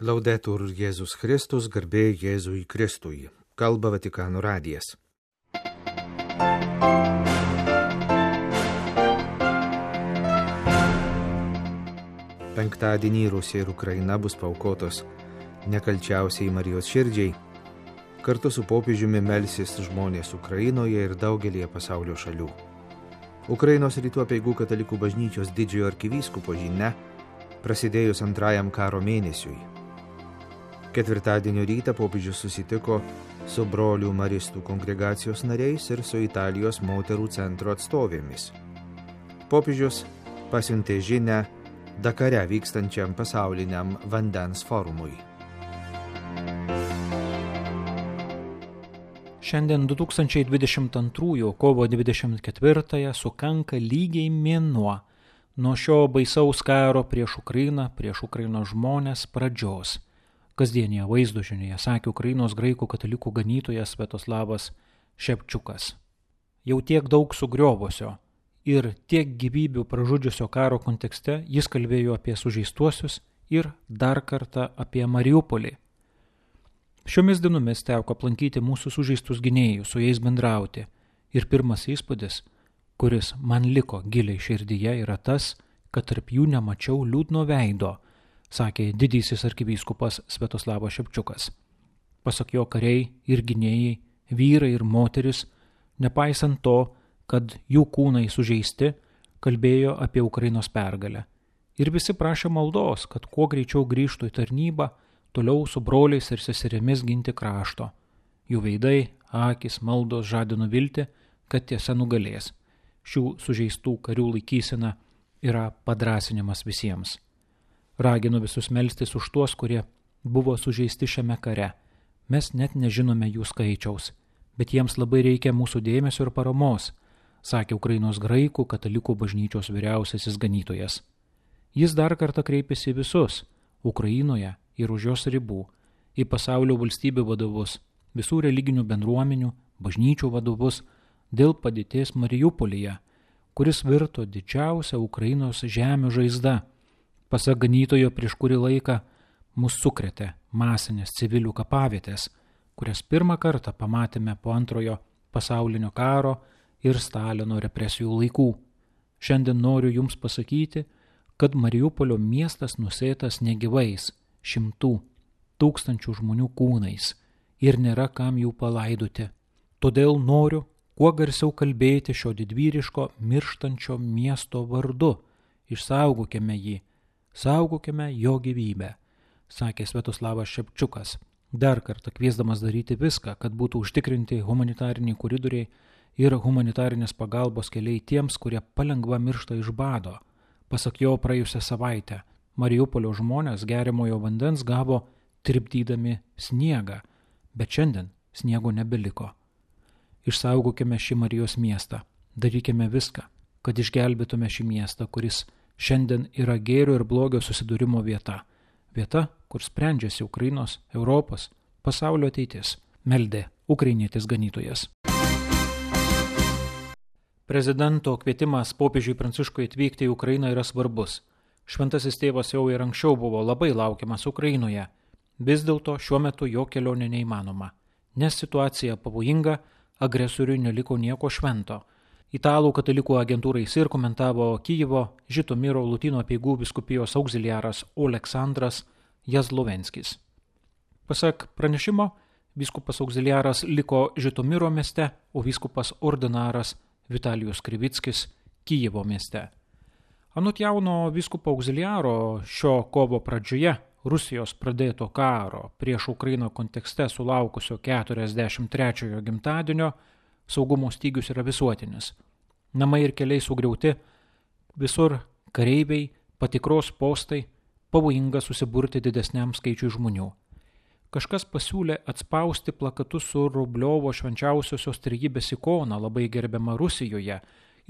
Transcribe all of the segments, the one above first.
Laudetur Jėzus Kristus, garbė Jėzui Kristui. Kalba Vatikano radijas. Penktadienį Rusija ir Ukraina bus paaukotos nekalčiausiai Marijos širdžiai. Kartu su popiežiumi melsis žmonės Ukrainoje ir daugelėje pasaulio šalių. Ukrainos rytų apeigų katalikų bažnyčios didžiojo arkivyskupo žinia prasidėjus antrajam karo mėnesiui. Ketvirtadienio rytą popiežius susitiko su brolių maristų kongregacijos nariais ir su Italijos moterų centro atstovėmis. Popiežius pasiuntė žinią Dakare vykstančiam pasauliniam vandens forumui. Šiandien 2022 kovo 24 sukanka lygiai mėnuo nuo šio baisaus karo prieš Ukrainą, prieš Ukrainos žmonės pradžios. Kasdienėje vaizdo žinioje sakė Ukrainos graikų katalikų ganytojas Sviatoslavas Šepčiukas. Jau tiek daug sugriovusio ir tiek gyvybių pražudžiusio karo kontekste jis kalbėjo apie sužeistuosius ir dar kartą apie Mariupolį. Šiomis dienomis teko aplankyti mūsų sužeistus gynėjus, su jais bendrauti. Ir pirmas įspūdis, kuris man liko giliai širdyje, yra tas, kad tarp jų nemačiau liūdno veido, sakė didysis arkivyskupas Sviatoslavas Šepčiukas. Pasak jo, kariai ir gynėjai, vyrai ir moteris, nepaisant to, kad jų kūnai sužeisti, kalbėjo apie Ukrainos pergalę. Ir visi prašė maldos, kad kuo greičiau grįžtų į tarnybą, toliau su broliais ir seserimis ginti krašto. Jų veidai, akys, maldos žadino viltį, kad tiesa nugalės. Šių sužeistų karių laikysena yra padrąsinimas visiems. Raginu visus melstis už tuos, kurie buvo sužeisti šiame kare. Mes net nežinome jų skaičiaus, bet jiems labai reikia mūsų dėmesio ir paramos, sakė Ukrainos graikų katalikų bažnyčios vyriausiasis ganytojas. Jis dar kartą kreipėsi visus Ukrainoje ir už jos ribų, į pasaulio valstybių vadovus, visų religinių bendruomenių, bažnyčių vadovus dėl padėties Mariupolyje, kuris virto didžiausia Ukrainos žemių žaizda. Pasak ganytojo, prieš kurį laiką mus sukrėtė masinės civilių kapavietės, kurias pirmą kartą pamatėme po antrojo pasaulinio karo ir Stalino represijų laikų. Šiandien noriu jums pasakyti, kad Mariupolio miestas nusėtas negyvais, 100 tūkstančių žmonių kūnais ir nėra kam jų palaidoti. Todėl noriu kuo garsiau kalbėti šio didvyriško mirštančio miesto vardu. Išsaugokime jį. Saugokime jo gyvybę, sakė Sviatoslavas Šepčiukas, dar kartą kviesdamas daryti viską, kad būtų užtikrinti humanitariniai koridoriai ir humanitarinės pagalbos keliai tiems, kurie palengva miršta iš bado. Pasak jo, praėjusią savaitę Mariupolio žmonės geriamojo vandens gavo tirpdydami sniegą, bet šiandien sniego nebeliko. Išsaugokime šį Marijos miestą, darykime viską, kad išgelbėtume šį miestą, kuris šiandien yra gėrio ir blogio susidūrimo vieta. Vieta, kur sprendžiasi Ukrainos, Europos, pasaulio ateitis, meldė ukrainietis ganytojas. Prezidento kvietimas popiežiui Pranciškui atvykti į Ukrainą yra svarbus. Šventasis tėvas jau ir anksčiau buvo labai laukiamas Ukrainoje. Vis dėlto šiuo metu jo kelionė neįmanoma, nes situacija pavojinga, agresoriui neliko nieko švento. Italų katalikų agentūrai SIR komentavo Kijevo Žitomiro Lotynų apeigų vyskupijos auxiliaras Oleksandras Jazlovenskis. Pasak pranešimo, vyskupas auxiliaras liko Žitomiro mieste, o vyskupas ordinaras Vitalijus Krivickis Kijevo mieste. Anot jauno vyskupo auxiliaro šio kovo pradžioje Rusijos pradėto karo prieš Ukrainą kontekste sulaukusio 43-ojo gimtadienio saugumo stygius yra visuotinis. Namai ir keliai sugriauti, visur kareiviai, patikros postai, pavojinga susiburti didesniam skaičiui žmonių. Kažkas pasiūlė atspausti plakatus su Rubliovo švenčiausiosios trejybės ikona, labai gerbiama Rusijoje,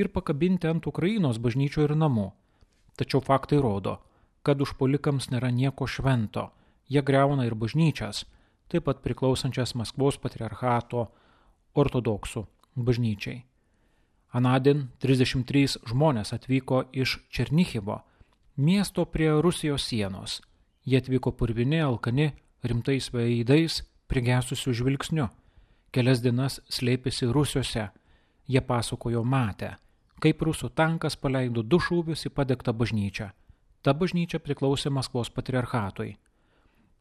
ir pakabinti ant Ukrainos bažnyčių ir namų. Tačiau faktai rodo, kad užpuolikams nėra nieko švento, jie griauna ir bažnyčias, taip pat priklausančias Maskvos patriarchato ortodoksų bažnyčiai. Anadien 33 žmonės atvyko iš Černichivo, miesto prie Rusijos sienos. Jie atvyko purvini, alkani, rimtais veidais, prigesusių žvilgsniu. Kelias dienas slėpėsi rūsiuose. Jie pasakojo matę, kaip rusų tankas paleido 2 šūvius į padegtą bažnyčią. Ta bažnyčia priklausė Maskvos patriarchatui.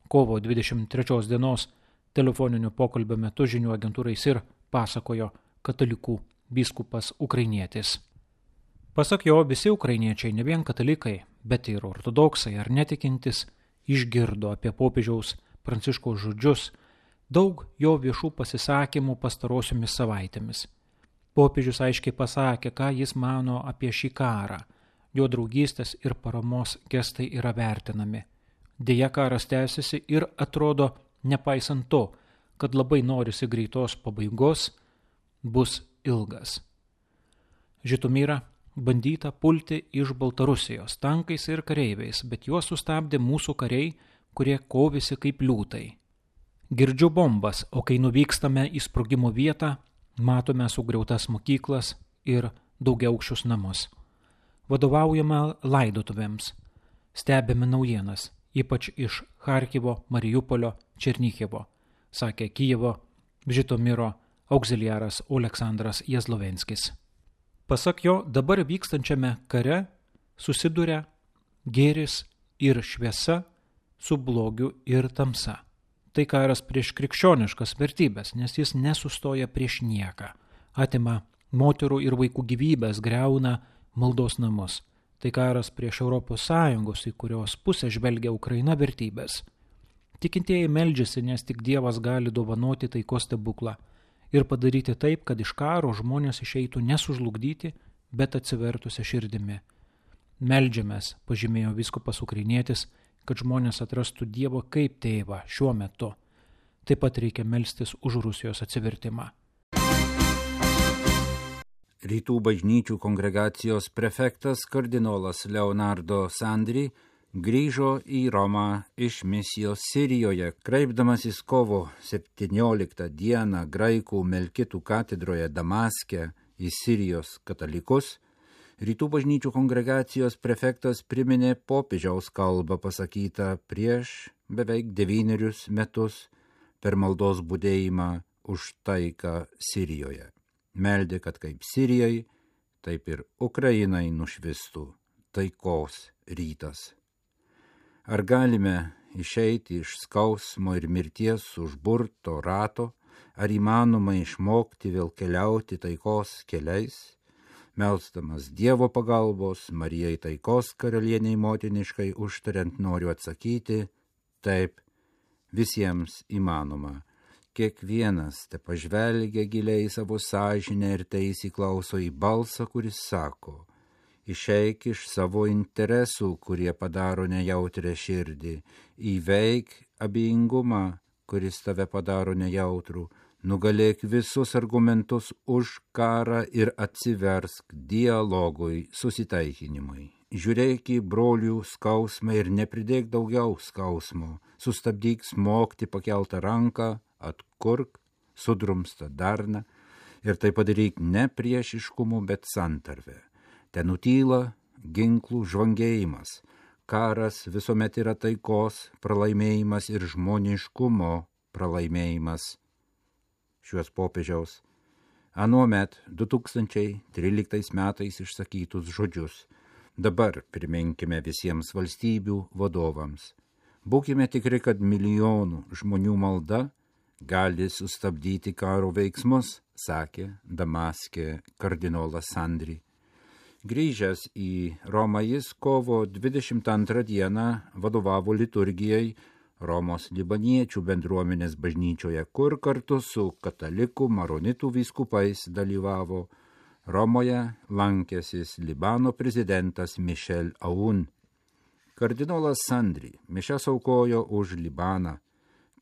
Kovo 23 dienos telefoninio pokalbio metu žinių agentūrai SIR pasakojo katalikų vyskupas ukrainietis. Pasak jo, visi ukrainiečiai, ne vien katalikai, bet ir ortodoksai ar netikintis, išgirdo apie popiežiaus Pranciškaus žodžius, daug jo viešų pasisakymų pastarosiomis savaitėmis. Popiežius aiškiai pasakė, ką jis mano apie šį karą. Jo draugystės ir paramos gestai yra vertinami. Deja, karas tęsiasi ir atrodo, nepaisant to, kad labai norisi greitos pabaigos, bus ilgas. Žitomyrą bandyta pulti iš Baltarusijos tankais ir kareiviais, bet juos sustabdė mūsų kariai, kurie kovėsi kaip liūtai. Girdžiu bombas, o kai nuvykstame į sprogimo vietą, matome sugriautas mokyklas ir daugiaaukščius namus. Vadovaujame laidotuvėms, stebime naujienas, ypač iš Charkivo, Mariupolio, Černichivo, sakė Kijevo Žitomiro auxiliaras Oleksandras Jazlovenskis. Pasak jo, dabar vykstančiame kare susiduria gėris ir šviesa su blogiu ir tamsa. Tai karas prieš krikščioniškas vertybės, nes jis nesustoja prieš nieką. Atima moterų ir vaikų gyvybės, griauna maldos namus. Tai karas prieš ES, į kurios pusę žvelgia Ukraina, vertybės. Tikintieji meldžiasi, nes tik Dievas gali dovanoti taikos stebuklą ir padaryti taip, kad iš karo žmonės išeitų nesužlugdyti, bet atsivertusią širdimi. Meldžiamės, pažymėjo vyskupas ukrainietis, kad žmonės atrastų Dievą kaip tėvą šiuo metu. Taip pat reikia melstis už Rusijos atsivertimą. Rytų bažnyčių kongregacijos prefektas kardinolas Leonardo Sandri grįžo į Romą iš misijos Sirijoje, kreipdamasis kovo 17 dieną graikų Melkitų katedroje Damaske į Sirijos katalikus. Rytų bažnyčių kongregacijos prefektas priminė popiežiaus kalbą pasakytą prieš beveik 9 metus per maldos budėjimą už taiką Sirijoje. Meldė, kad kaip Sirijai, taip ir Ukrainai nušvistų taikos rytas. Ar galime išeiti iš skausmo ir mirties užburto rato, ar įmanoma išmokti vėl keliauti taikos keliais? Melsdamas Dievo pagalbos, Marijai taikos karalieniai motiniškai užtariant noriu atsakyti, taip, visiems įmanoma. Kiekvienas te pažvelgia giliai savo sąžinę ir tai įsiklauso į balsą, kuris sako, išeik iš savo interesų, kurie padaro nejautrę širdį, įveik abejingumą, kuris tave padaro nejautrų, nugalėk visus argumentus už karą ir atsiversk dialogui, susitaikinimui. Žiūrėk į brolių skausmą ir nepridėk daugiau skausmo, sustabdyk smogti pakeltą ranką, atkurk sudrumstą darną ir tai padaryk ne priešiškumu, bet santarvę. Ten nutyla ginklų žvangėjimas. Karas visuomet yra taikos pralaimėjimas ir žmoniškumo pralaimėjimas. Šiuos popiežiaus anuomet 2013 metais išsakytus žodžius dabar priminkime visiems valstybių vadovams. Būkime tikri, kad milijonų žmonių malda gali sustabdyti karo veiksmus, sakė Damaske kardinolas Sandri. Grįžęs į Romą jis kovo 22 dieną vadovavo liturgijai Romos libaniečių bendruomenės bažnyčioje, kur kartu su katalikų maronitų vyskupais dalyvavo Romoje lankęsis Libano prezidentas Michel Aoun. Kardinolas Sandri mišias aukojo už Libaną,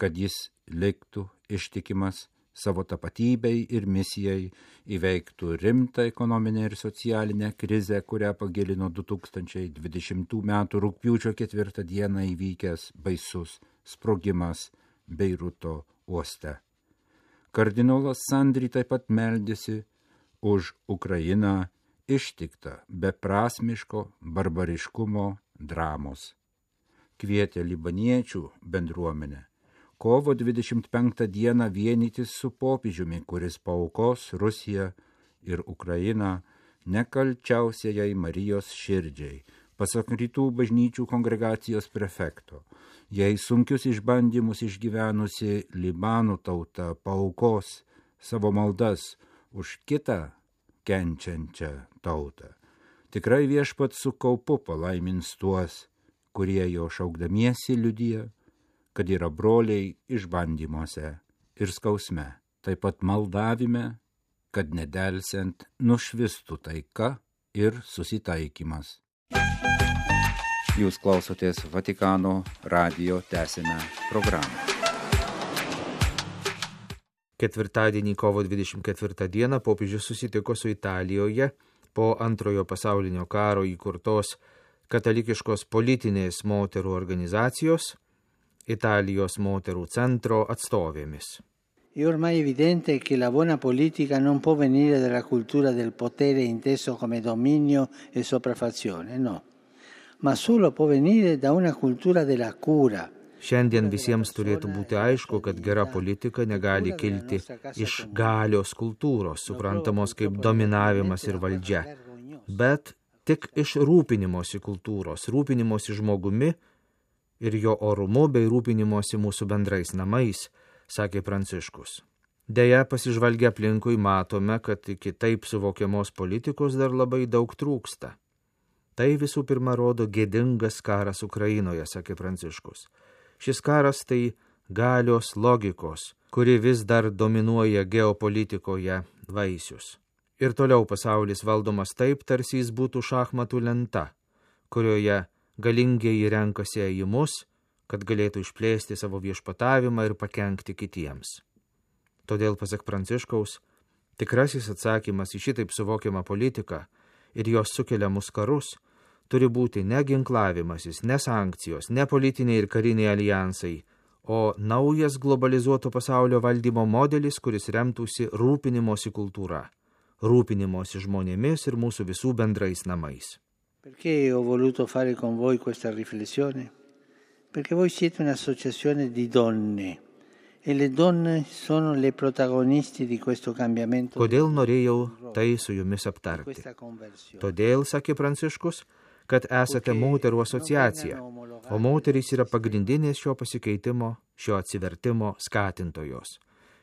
kad jis liktų ištikimas savo tapatybei ir misijai, įveiktų rimtą ekonominę ir socialinę krizę, kurią pagilino 2020 m. rugpjūčio 4 dieną įvykęs baisus sprogimas Beiruto uoste. Kardinolas Sandri taip pat meldėsi už Ukrainą ištiktą beprasmiško barbariškumo dramos. kvietė libaniečių bendruomenę kovo 25 dieną vienytis su popiežiumi, kuris paaukos Rusiją ir Ukrainą nekalčiausiajai Marijos širdžiai, pasak Rytų bažnyčių kongregacijos prefekto. Jei sunkius išbandymus išgyvenusi Libanų tauta paaukos savo maldas už kitą kenčiančią tautą, tikrai viešpats su kaupu palaimins tuos, kurie jo šaukdamiesi liudija, kad yra broliai išbandymuose ir skausme, taip pat maldavime, kad nedelsiant nušvistų taika ir susitaikymas. Jūs klausotės Vatikano radijo tęsinę programą. Ketvirtadienį kovo 24 dieną popiežius susitiko su Italijoje po Antrojo pasaulinio karo įkurtos katalikiškos politinės moterų organizacijos Italijos moterų centro atstovėmis. È ormai evidente che la buona politica non può venire dalla cultura del potere inteso come dominio e sopraffazione, no, ma solo può venire da una cultura della cura. Šiandien visiems turėtų būti aišku, kad gera politika negali kilti iš galios kultūros, suprantamos kaip dominavimas ir valdžia, bet tik iš rūpinimosi kultūros, rūpinimosi žmogumi ir jo orumu bei rūpinimosi mūsų bendrais namais, sakė Pranciškus. Deja, pasižvalgę aplinkui matome, kad iki taip suvokiamos politikos dar labai daug trūksta. Tai visų pirma rodo gėdingas karas Ukrainoje, sakė Pranciškus. Šis karas tai galios logikos, kuri vis dar dominuoja geopolitikoje, vaisius. Ir toliau pasaulis valdomas taip, tarsi jis būtų šachmatų lenta, kurioje galingieji renkasi ėjimus, kad galėtų išplėsti savo viešpatavimą ir pakenkti kitiems. Todėl, pasak Pranciškaus, tikrasis atsakymas į šitaip suvokiamą politiką ir jos sukeliamus karus turi būti ne ginklavimasis, ne sankcijos, ne politiniai ir kariniai alijansai, o naujas globalizuoto pasaulio valdymo modelis, kuris remtųsi rūpinimosi kultūra, rūpinimosi žmonėmis ir mūsų visų bendrais namais. Perché ho voluto fare con voi questa riflessione? Perché voi siete un'associazione di donne e le donne sono le protagonisti di questo cambiamento. Kodėl norėjau tai su jumis aptarti? Todėl, sakė Pranciškus, kad esate moterų asociacija, o moterys yra pagrindinės šio pasikeitimo, šio atsivertimo skatintojos.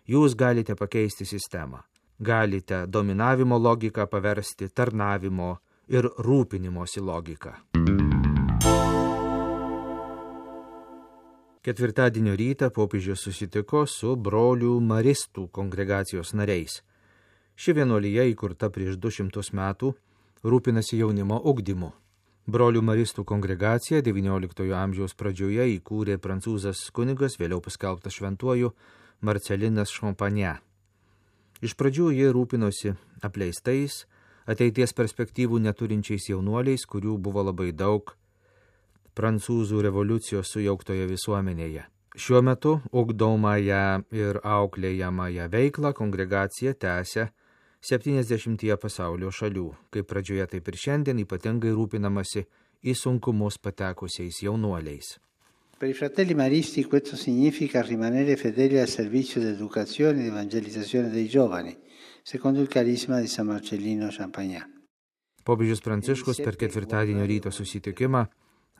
Jūs galite pakeisti sistemą, galite dominavimo logiką paversti tarnavimo ir rūpinimosi logiką. Ketvirtadienio rytą popiežius susitiko su brolių maristų kongregacijos nariais. Ši vienuolija įkurta prieš 200 metų rūpinasi jaunimo ugdymu. Brolių maristų kongregaciją XIX amžiaus pradžioje įkūrė prancūzas kunigas, vėliau paskelbtas šventuoju Marcelinas Champagne. Iš pradžių jie rūpinosi apleistais, ateities perspektyvų neturinčiais jaunuoliais, kurių buvo labai daug prancūzų revoliucijos sujauktoje visuomenėje. Šiuo metu ugdomąją ir auklėjamąją veiklą kongregacija tęsia 70 pasaulio šalių, kaip pradžioje taip ir šiandien ypatingai rūpinamasi į sunkumus patekusiais jaunuoliais. Per i fratelli maristi questo significa rimanere fedeli al servizio di educazione e evangelizzazione dei giovani, secondo il carisma di San Marcellino Champagne. Popiežius Pranciškus per ketvirtadienio ryto susitikimą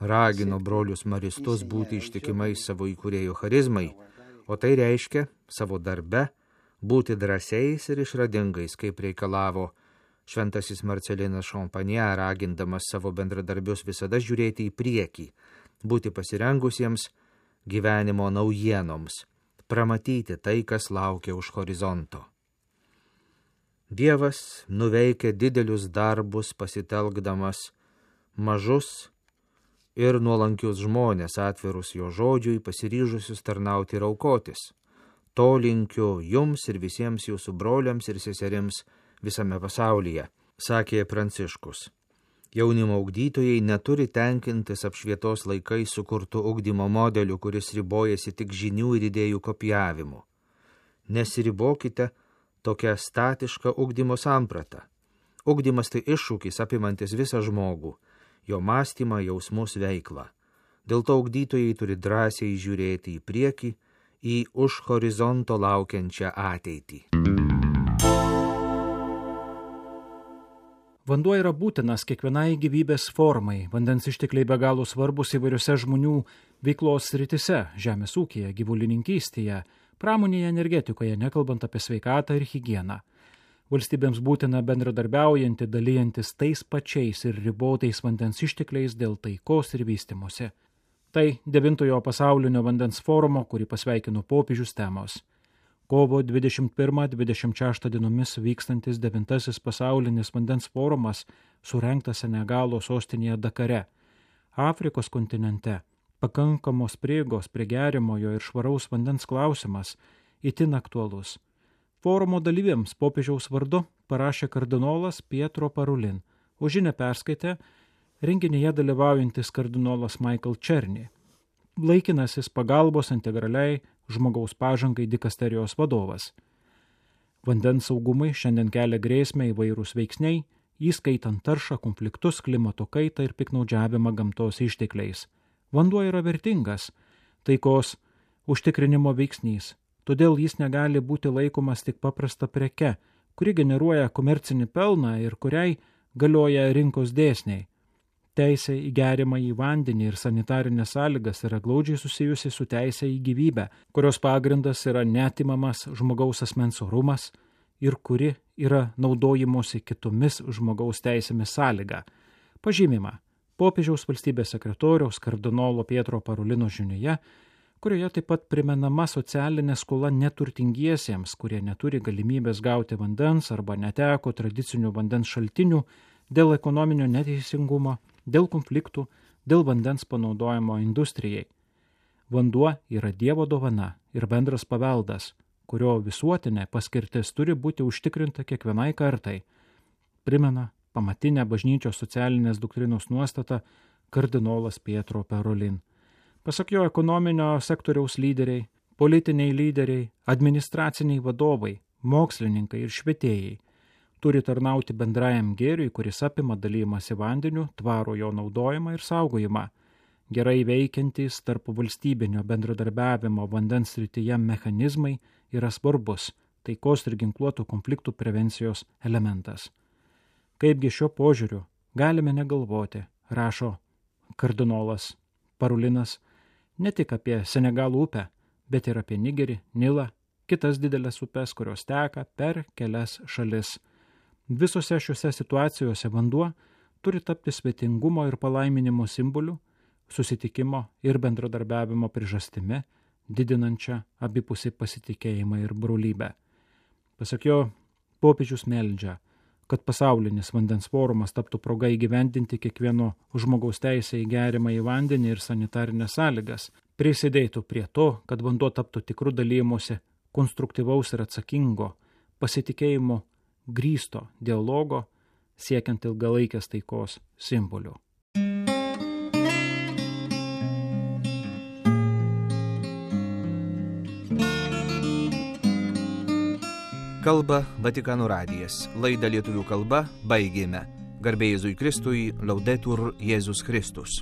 ragino brolius maristus būti ištikimais savo įkūrėjo charizmai, o tai reiškia savo darbe būti drąsiais ir išradingais, kaip reikalavo šventasis Marcelinas Champagne, ragindamas savo bendradarbius visada žiūrėti į priekį, būti pasirengusiems gyvenimo naujienoms, pramatyti tai, kas laukia už horizonto. Dievas nuveikia didelius darbus pasitelkdamas mažus ir nuolankius žmonės, atvirus jo žodžiui, pasiryžusius tarnauti ir aukotis. To linkiu jums ir visiems jūsų broliams ir seserims visame pasaulyje, sakė Pranciškus. Jaunimo ugdytojai neturi tenkintis apšvietos laikais sukurtų ugdymo modelių, kuris ribojasi tik žinių ir idėjų kopijavimu. Nesiribokite tokia statiška ugdymo samprata. Ugdymas tai iššūkis apimantis visą žmogų, jo mąstymą, jausmus, veiklą. Dėl to ugdytojai turi drąsiai žiūrėti į priekį, į už horizonto laukiančią ateitį. Vanduo yra būtinas kiekvienai gyvybės formai. Vandens ištekliai be galo svarbus įvairiose žmonių veiklos sritise – žemės ūkyje, gyvulininkystėje, pramonėje, energetikoje, nekalbant apie sveikatą ir higieną. Valstybėms būtina bendradarbiaujanti, dalyjantis tais pačiais ir ribotais vandens ištekliais dėl taikos ir vystymosi. Tai 9 pasaulinio vandens forumo, kurį pasveikino popiežius temos. Kovo 21-26 dienomis vykstantis 9 pasaulinis vandens forumas surengtas Senegalo sostinėje Dakare, Afrikos kontinente. Pakankamos prieigos prie geriamojo ir švaraus vandens klausimas itin aktualus. Forumo dalyviams popiežiaus vardu parašė kardinolas Pietro Parolin, o žinią perskaitė renginyje dalyvaujantis kardinolas Michael Černy, laikinasis pagalbos integraliai žmogaus pažangai dikasterijos vadovas. Vandens saugumui šiandien kelia grėsmę įvairūs veiksniai, įskaitant taršą, konfliktus, klimato kaitą ir piknaudžiavimą gamtos ištekliais. Vanduo yra vertingas, taikos užtikrinimo veiksnys, todėl jis negali būti laikomas tik paprasta preke, kuri generuoja komercinį pelną ir kuriai galioja rinkos dėsniai. Teisė į geriamą į vandenį ir sanitarinės sąlygas yra glaudžiai susijusi su teisė į gyvybę, kurios pagrindas yra neatimamas žmogaus asmens orumas ir kuri yra naudojimosi kitomis žmogaus teisėmis sąlyga. Pažymima popiežiaus valstybės sekretoriaus kardinolo Pietro Parolino žinioje, kurioje taip pat primenama socialinė skola neturtingiesiems, kurie neturi galimybės gauti vandens arba neteko tradicinių vandens šaltinių dėl ekonominio neteisingumo, dėl konfliktų, dėl vandens panaudojimo industrijai. Vanduo yra Dievo dovana ir bendras paveldas, kurio visuotinė paskirtis turi būti užtikrinta kiekvienai kartai, primena pamatinę bažnyčios socialinės doktrinos nuostatą kardinolas Pietro Parolin. Pasak jo, ekonominio sektoriaus lyderiai, politiniai lyderiai, administraciniai vadovai, mokslininkai ir švietėjai turi tarnauti bendrajam gėriui, kuris apima dalymąsi vandeniu, tvarų jo naudojimą ir saugojimą. Gerai veikiantys tarp valstybinio bendradarbiavimo vandens srityje mechanizmai yra svarbus taikos ir ginkluotų konfliktų prevencijos elementas. Kaipgi šio požiūriu galime negalvoti, rašo kardinolas Parolinas, ne tik apie Senegalo upę, bet ir apie Nigerį, Nilą, kitas didelės upes, kurios teka per kelias šalis. Visose šiuose situacijose vanduo turi tapti svetingumo ir palaiminimo simboliu, susitikimo ir bendradarbiavimo priežastimi, didinančią abipusį pasitikėjimą ir brolybę. Pasak jo, popiežius meldžia, kad pasaulinis vandens forumas taptų proga įgyvendinti kiekvieno žmogaus teisę į geriamą į vandenį ir sanitarinės sąlygas, prisidėtų prie to, kad vanduo taptų tikrų dalymosi, konstruktyvaus ir atsakingo, pasitikėjimo grįsto dialogo, siekiant ilgalaikės taikos simbolių. Kalba Vatikano radijas. Laidą lietuvių kalba baigėme. Garbė Jėzui Kristui, Laudetur Jėzus Kristus.